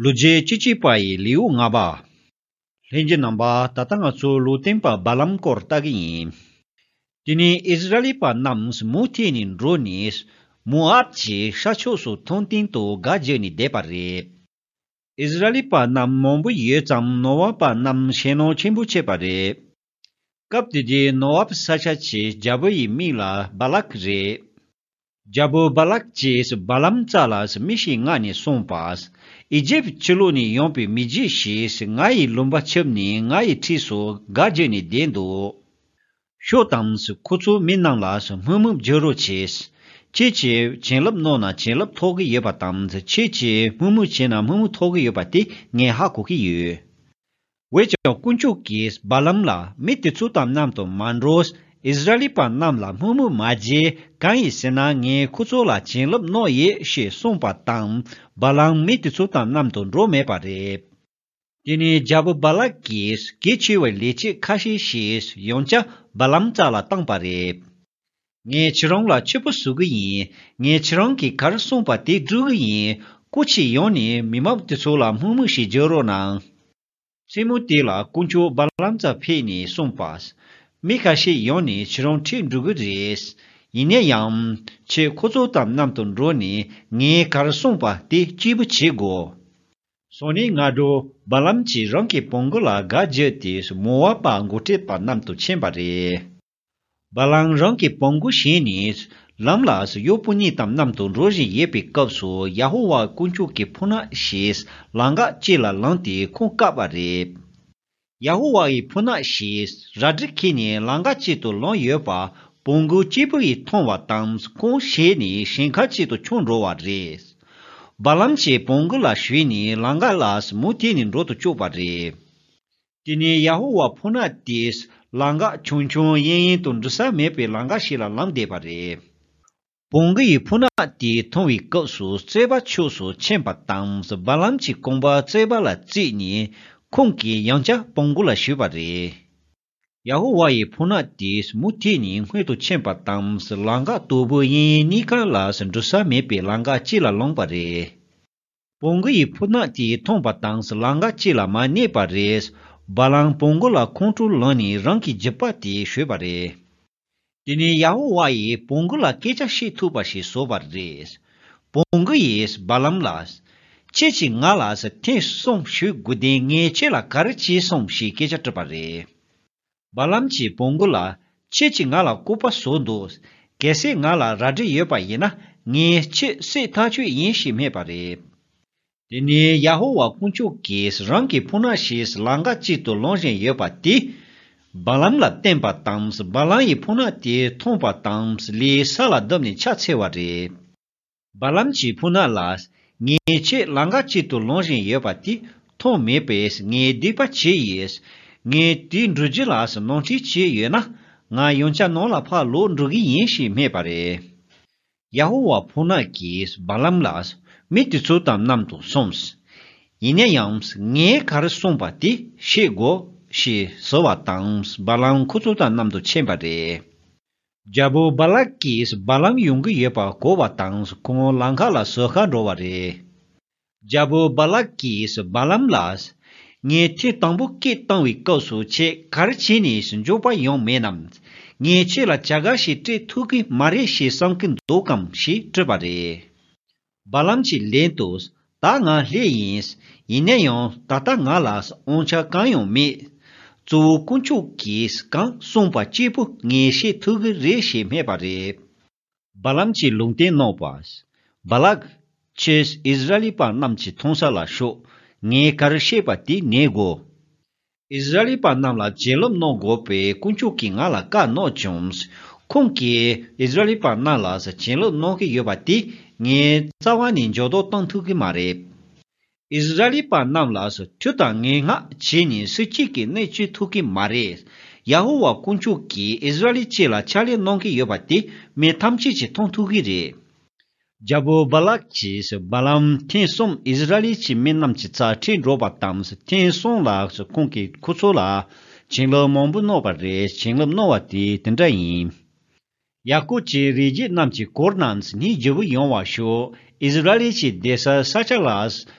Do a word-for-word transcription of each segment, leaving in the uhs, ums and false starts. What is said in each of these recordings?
ལོ་རྒྱུས་བཅུ་གཅིག་པ་ཡི་ལེའུ་ལྔ་པ། ལྷན་རྒྱས་རྣམ་པ། ད་ལྟ་ང་ཚོ་ལུང་སྟོན་པ་བ་ལམ་སྐོར་ལྟ་གི་ཡིན། དེ་ནས་ཨིསི་ར་ཨེལ་པ་རྣམས་མུ་མཐུད་ནས་འགྲོ་ནས་མོ་ཨབ་ཀྱི་ཤར་ཕྱོགས་སུ་ཐང་སྟེང་དུ་སྒར་བརྒྱབ་ནས་བསྡད་པ་རེད། ཨིསི་ར་ཨེལ་པ་རྣམས་མང་པོ་ཡོད་ཙང་ནོ་ཨབ་པ་རྣམས་ཞེད་སྣང་ཆེན་པོ་བྱས་པ་རེད། སྐབས་དེ་དུས་ནོ་ཨབ་ས་ཆ་གི་རྒྱལ་པོ་ཡི་མིང་ལ་བ་ལག་རེད། རྒྱལ་པོ་བ་ལག་ཅེས་བ་ལམ་རྩ་ལ་མི་ཞིག་མངགས་ནས་གསུངས་པ། ཨི་ཇིབ་ཕྱི་ལོགས་ནས་ཡོང་པའི་མི་རྒྱུད་ཞིག་ང་ཡི་ལུང་པ་ཁྱབ་ནས་ང་ཡི་འཁྲིས་སུ་སྒར་བརྒྱབ་ནས་བསྡད་འདུག་ཤོག་དང་། ཁོ་ཚོའི་མི་རྣམས་ལ་དམོད་མོ་རྒྱག་རོགས་བྱས། ཁྱེད་ཀྱིས་བྱིན་རླབས་གནང་ན་བྱིན་རླབས་ཐོབ་ཀྱི་ཡོད་པ་དང་། ཁྱེད་ཀྱིས་དམོད་མོ་བྱས་ན་དམོད་མོ་ཐོབ་ཀྱི་ཡོད་པ་དེ་ངས་ཧ་གོ་གི་ཡོད། འོན་ཀྱང་དཀོན་མཆོག་གིས་བ་ལམ་ལ། མི་དེ་ཚོ་དང་མཉམ་དུ་མ་འགྲོ། ཨིསི་ར་ཨེལ་པ་རྣམས་ལ་དམོད་མོ་མ་བྱེད། གང་ཡིན་ཟེར་ན་ངས་ཁོ་ཚོ་ལ་བྱིན་རླབས་གནང་ཡོད་ཞེས་གསུངས་པ་དང་། བ་ལམ་མི་དེ་ཚོ་དང་མཉམ་དུ་འགྲོ་མེད་པ་རེད། དེ་ནས་རྒྱལ་པོ་བ་ལག་གིས་གལ་ཆེ་བའི་ལས་བྱེད་ཁ་ཤས་ཤིག་ཡང་བསྐྱར་བ་ལམ་རྩ་ལ་བཏང་པ་རེད། ངས་ཁྱེད་རང་ལ་ཆེད་དུ་གཟིགས་ཀྱི་ཡིན། ངས་ཁྱེད་རང་གིས་ག་རེ་གསུངས་པ་དེ་སྒྲུབ་ཀྱི་ཡིན། སྐུ་མཁྱེན་ཡོང་ནས་མི་མང་དེ་ཚོ་ལ་དམོད་མོ་ཞིག་རྒྱག་རོགས་གནང་། མཚན་མོ་དེ་ལ་དཀོན་མཆོག་བ་ལམ་རྩར་ཕེབས་ནས་གསུངས་པ། མི་ཁ་ཤས་ཡོང་ནས་ཁྱེད་རང་འཁྲིད་འགྲོ་གི་རེད། ཡིན་ན་ཡང་། ཁྱེད་ཁོ་ཚོ་དང་མཉམ་དུ་འགྲོ་ནས་ངས་ག་རེ་གསུངས་པ་དེ་གཅིག་པུ་བྱེད་དགོས། སང་ཉིན་སྔ་དྲོ་བ་ལམ་གྱིས་རང་གི་བོང་གུ་ལ་སྒར་བརྒྱབ་སྟེ་མོ་ཨབ་པ་འགོ་ཁྲིད་པ་རྣམས་དང་ཕྱིན་པ་རེད། བ་ལམ་རང་གི་བོང་གུ་བཞེས་ནས་ལམ་ལ་གཡོག་པོ་གཉིས་དང་མཉམ་དུ་འགྲོ་བཞིན་ཡོད་པའི་སྐབས་སུ། ཡ་ཧོ་ཝཱ་དཀོན་མཆོག་གི་ཕོ་ཉ་ཞིག་ལམ་ཁ་དཀྱིལ་ལ་ལངས་ཏེ་ཁོང་བཀག་པ་རེད། ཡ་ཧོ་ཝཱ་ཡི་ཕོ་ཉ་ཞིག་རལ་གྲི་ཁྱེར་ནས་ལམ་ཁ་དཀྱིལ་དུ་ལངས་ཡོད་པ་བོང་གུ་གཅིག་པུ་ཡིས་མཐོང་བ་དང་། ཁོང་ཞེད་ནས་ཞིང་ཁ་དཀྱིལ་དུ་མཆོངས་འགྲོ་བ་རེད། བ་ལམ་གྱིས་བོང་གུ་ལ་ཞུས་ནས་ལམ་ཁ་ལ་མུ་མཐུད་ནས་འགྲོ་དུ་བཅུག་པ་རེད། དེ་ནས་ཡ་ཧོ་ཝཱ་ཕོ་ཉ་དེས་ལམ་ཁ་ཆུང་ཆུང་གཡེང་གཡེང་དང་འགྲོ་ས་མེད་པའི་ལམ་ཁ་ཞིག་ལ་ལངས་བསྡད་པ་རེད། བོང་གུ་ཡི་ཕོ་ཉ་དེ་མཐོང་བའི་སྐབས་སུ་རྩོད་པ་ཕྱོགས་སུ་ཕྱིན་པ་དང་། བ་ལམ་གྱི་རྐང་པ་རྩོད་པ་ལ་བཙུགས་ནས་ཁོང་གིས་ཡང་བསྐྱར་བོང་གུ་ལ་ཞུས་པ་རེད། ཡ་ཧོ་ཝཱ་ཡི་ཕོ་ཉ་དེས་མུ་མཐུད་ནས་སྔོན་དུ་ཕྱིན་པ་དང་། ལམ་ཁ་དོག་པོ་གཡས་གཡོན་གཉིས་ཀ་ལ་འགྲོ་ས་མེད་པའི་ལམ་ཁ་དཀྱིལ་ལ་ལངས་པ་རེད། བོང་གུ་ཡི་ཕོ་ཉ་དེས་མཐོང་བ་དང་། ལམ་ཁ་དཀྱིལ་ལ་མར་གནས་པ་རེད། བ་ལམ་བོང་གུ་ལ་ཁོང་ཁྲོ་ལངས་ནས་རང་གི་རྒྱུག་པ་དེ་གཞུས་པ་རེད། དེ་ནས་ཡ་ཧོ་ཝཱ་ཡིས་བོང་གུ་ལ་སྐད་ཆ་བཤད་ཐུབ་པ་ཞིག་བཟོས་པ་རེད། བོང་གུ་ཡིས་བ་ལམ་ལ། ཁྱེད་ཀྱིས་ང་ལ་ཐེངས་གསུམ་ཞུ་དགོས་དུས་ངས་ཁྱེད་ལ་ག་རེ་བྱས་སོང་ཞེས་སྐད་ཆ་དྲིས་པ་རེད། བ་ལམ་གྱིས་བོང་གུ་ལ། ཁྱེད་ཀྱིས་ང་ལ་སྐུར་པ་བཟོས་འདུག་གལ་སྲིད་ང་ལ་རལ་གྲི་ཡོད་པ་ཡིན་ན་ངས་ཁྱེད་བསད་ཐག་ཆོད་ཡིན་ཞེས་སྨྲས་པ་རེད། དེ་ནས་ཡ་ཧོ་ཝཱ་དཀོན་མཆོག་གིས་རང་གི་ཕོ་ཉ་ཞིག་ལམ་ཁ་དཀྱིལ་དུ་ལངས་བཞིན་ཡོད་པ་དེ། བ་ལམ་ལ་བསྟན་པ་དང་། བ་ལམ་ཡི་ཕོ་ཉ་དེ་མཐོང་བ་དང་། ལས་ས་ལ་བརྡབས་ནས་ཕྱག་འཚལ་བ་རེད། བ་ལམ་གྱི་ཕོ་ཉ་ལ། ངས་ཁྱེད་ལམ་ཁ་དཀྱིལ་དུ་ལངས་བཞིན་ཡོད་པ་དེ་མཐོང་མེད་པས་ངས་སྡིག་པ་བྱས་ཡིན། ངས་དེ་འགྲུལ་རྒྱུ་ལ་ནོར་འཁྲུལ་བྱས་ཡོད་ན། ང་ཡང་བསྐྱར་ནང་ལ་ཕར་ལོག་འགྲོ་གི་ཡིན་ཞེས་སྨྲས་པ་རེད། ཡ་ཧོ་ཝཱ་ཕོ་ཉ་གིས་བ་ལམ་ལ། མི་དེ་ཚོ་དང་མཉམ་དུ་སོང་། ཡིན་ན་ཡང་ངས་ག་རེ་གསུངས་པ་དེ་བཤད་དགོས་ཞེས་ཟེར་བ་དང་། བ་ལམ་ཁོ་ཚོ་དང་མཉམ་དུ་ཕྱིན་པ་རེད། རྒྱལ་པོ་བ་ལག་གིས་བ་ལམ་ཡོང་གི་ཡོད་པ་གོ་བ་དང་། ཁོང་ལམ་ཁ་ལ་ཟུར་ཁ་འགྲོ་བ་རེད། རྒྱལ་པོ་བ་ལག་གིས་བ་ལམ་ལ། ངས་ཐེངས་དང་པོ་སྐད་བཏང་བའི་སྐབས་སུ་ཁྱེད་ག་རེ་བྱས་ནས་མགྱོགས་པ་ཡོང་མེད་ནམ། ངས་ཁྱེད་ལ་བྱ་དགའ་ཞིག་སྤྲད་ཐུབ་ཀྱི་མ་རེད་ཞེས་བསམ་གྱི་འདུག་གམ་ཞེས་དྲིས་པ་རེད། བ་ལམ་གྱིས་ལན་དུ། ད་ང་ལྷས་ཡིན། ཡིན་ན་ཡང་ད་ལྟ་ང་ལ་དབང་ཆ་གང་ཡང་མེད། གཙོ་བོ་དཀོན་མཆོག་གིས་གང་གསུངས་པ་གཅིག་པུ་ངས་བཤད་ཐུབ་ཀྱི་རེད་ཞེས་སྨྲས་པ་རེད། བ་ལམ་གྱིས་ལུང་བསྟན་གནང་བ། བ་ལག་ཁྱེད་ཨིསི་ར་ཨེལ་པ་རྣམས་ཀྱི་མཐོང་ས་ལ་ཤོག་ངས་ག་རེ་བཤད་པ་དེ་ཉན་དགོས། ཨིསི་ར་ཨེལ་པ་རྣམས་ལ་བྱིན་རླབས་གནང་དགོས་པའི་དཀོན་མཆོག་གིས་ང་ལ་བཀའ་གནང་བྱུང་། ཁོང་གིས་ཨིསི་ར་ཨེལ་པ་རྣམས་ལ་བྱིན་རླབས་གནང་གི་ཡོད་པ་དེ་ངས་རྩ་བ་ནས་འགྱོད་བརྡ་གཏོང་ཐུབ་ཀྱི་མ་རེད། ཨིསི་ར་ཨེལ་པ་རྣམས་ལ་མཐུ་དང་ངན་སྔགས་བྱས་ནས་སུ་གཅིག་གིས་གནོད་བྱེད་ཐུབ་ཀྱི་མ་རེད། ཡ་ཧོ་ཝཱ་དཀོན་མཆོག་གིས་ཨིསི་ར་ཨེལ་སྤྱི་ལ་ཕྱག་ལས་གནང་གི་ཡོད་པ་དེ་མི་ཐམས་ཅད་ཀྱིས་མཐོང་ཐུབ་ཀྱི་རེད། རྒྱལ་པོ་བ་ལག་གིས་བ་ལམ་ཐེངས་གསུམ་ཨིསི་ར་ཨེལ་གྱི་མི་རྣམས་ཀྱི་རྩར་ཁྲིད་འགྲོ་བ་དང་། ཐེངས་གསུམ་ལ་ཁོང་གིས་ཁོ་ཚོ་ལ་བྱིན་རླབས་མང་པོ་གནང་བ་རེད། བྱིན་རླབས་གནང་བ་དེ་དེ་འདྲ་ཡིན། ཡ་ཀོབ་ཀྱི་རིགས་རྒྱུད་རྣམས་ཀྱི་གུར་རྣམས་སྙིང་རྗེ་བོ་ཡོང་བར་ཤོག །ཨིསི་ར་ཨེལ་གྱི་བསྡད་སའི་ས་ཆ་ལ་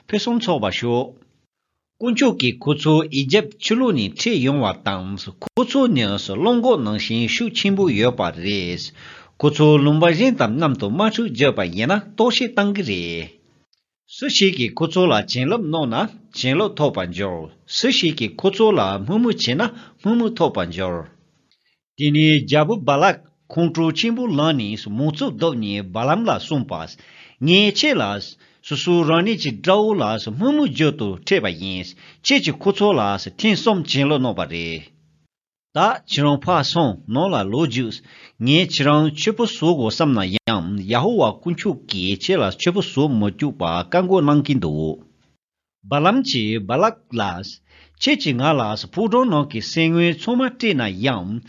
ཕུན་སུམ་ཚོགས་པར་ཤོག །དཀོན་མཆོག་གིས་ཁོ་ཚོ་ཨི་ཇེབ་ཆུ་ལོག་ནས་ཁྲིད་ཡོང་བ་དང་། ཁོ་ཚོ་ནི་གླང་གོག་ནང་བཞིན་ཤུགས་ཆེན་པོ་ཡོད་པ་རེད། ཁོ་ཚོ་ལུང་པ་གཞན་དང་མཉམ་དུ་དམག་འཁྲུག་བརྒྱབ་པ་ཡིན་ན་ལྟོགས་ཤི་བཏང་གི་རེད། སུ་ཞིག་གིས་ཁོ་ཚོ་ལ་བྱིན་རླབས་གནང་ན་བྱིན་རླབས་ཐོབ་པར་འགྱུར། སུ་ཞིག་གིས་ཁོ་ཚོ་ལ་དམོད་མོ་བྱས་ན་དམོད་མོ་ཐོབ་པར་འགྱུར། དེ་ནས་རྒྱལ་པོ་བ་ལག་ཁོང་ཁྲོ་ཆེན་པོ་ལངས་ནས་མོ་ཚོ་བརྡབས་ནས་བ་ལམ་ལ་གསུངས་པ། ངས་ཁྱེད་ལ་སོ་སོ་རང་ཉིད་ཀྱི་དགྲ་བོ་ལ་དམོད་མོ་བརྗོད་དུ་ཁྲིད་པ་ཡིན། ཁྱེད་ཀྱིས་ཁོ་ཚོ་ལ་ཐེངས་གསུམ་བྱིན་རླབས་གནང་བ་རེད། ད་ཁྱེད་རང་ཕར་སོང་། ནང་ལ་ལོག་རྒྱུགས། ངས་ཁྱེད་རང་མཆོད་པ་བཟོ་དགོས་བསམ་ན་ཡང་། ཡ་ཧོ་ཝཱ་དཀོན་མཆོག་གིས་ཁྱེད་ལ་མཆོད་པ་བཟོ་མི་བཅུག་པ་བཀག་འགོག་གནང་གིན་འདུག །བ་ལམ་གྱིས་བ་ལག་ལ། ཁྱེད་ཀྱིས་ང་ལ་ཕོ་བྲང་ནང་གི་སེམས་དངོས་ཚང་མ་སྤྲད་ན་ཡང་།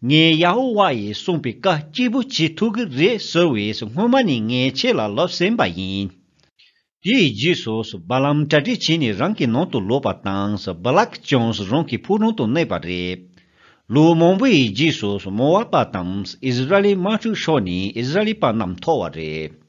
ངས་ཡ་ཧོ་ཝཱ་ཡིས་གསུངས་པའི་བཀའ་གཅིག་པུ་བྱེད་ཐུབ་ཀྱི་རེད་ཟེར་བས། སྔོན་མ་ནས་ངས་ཁྱེད་ལ་ལབ་ཟིན་པ་ཡིན། དེའི་རྗེས་སུ་བ་ལམ་གྲ་སྒྲིག་བྱས་ནས་རང་གི་ནང་དུ་ལོག་པ་དང་། བ་ལག་ཀྱང་རང་གི་ཕོ་བྲང་དུ་གནས་པ་རེད། ལོ་མང་པོའི་རྗེས་སུ་མོ་ཝ་པ་དང་ཨིསི་ར་ཨེལ་དམག་འཁྲུག་ཤོར་ནས་ཨིསི་ར་ཨེལ་པ་རྣམས་འཐོར་བ་རེད།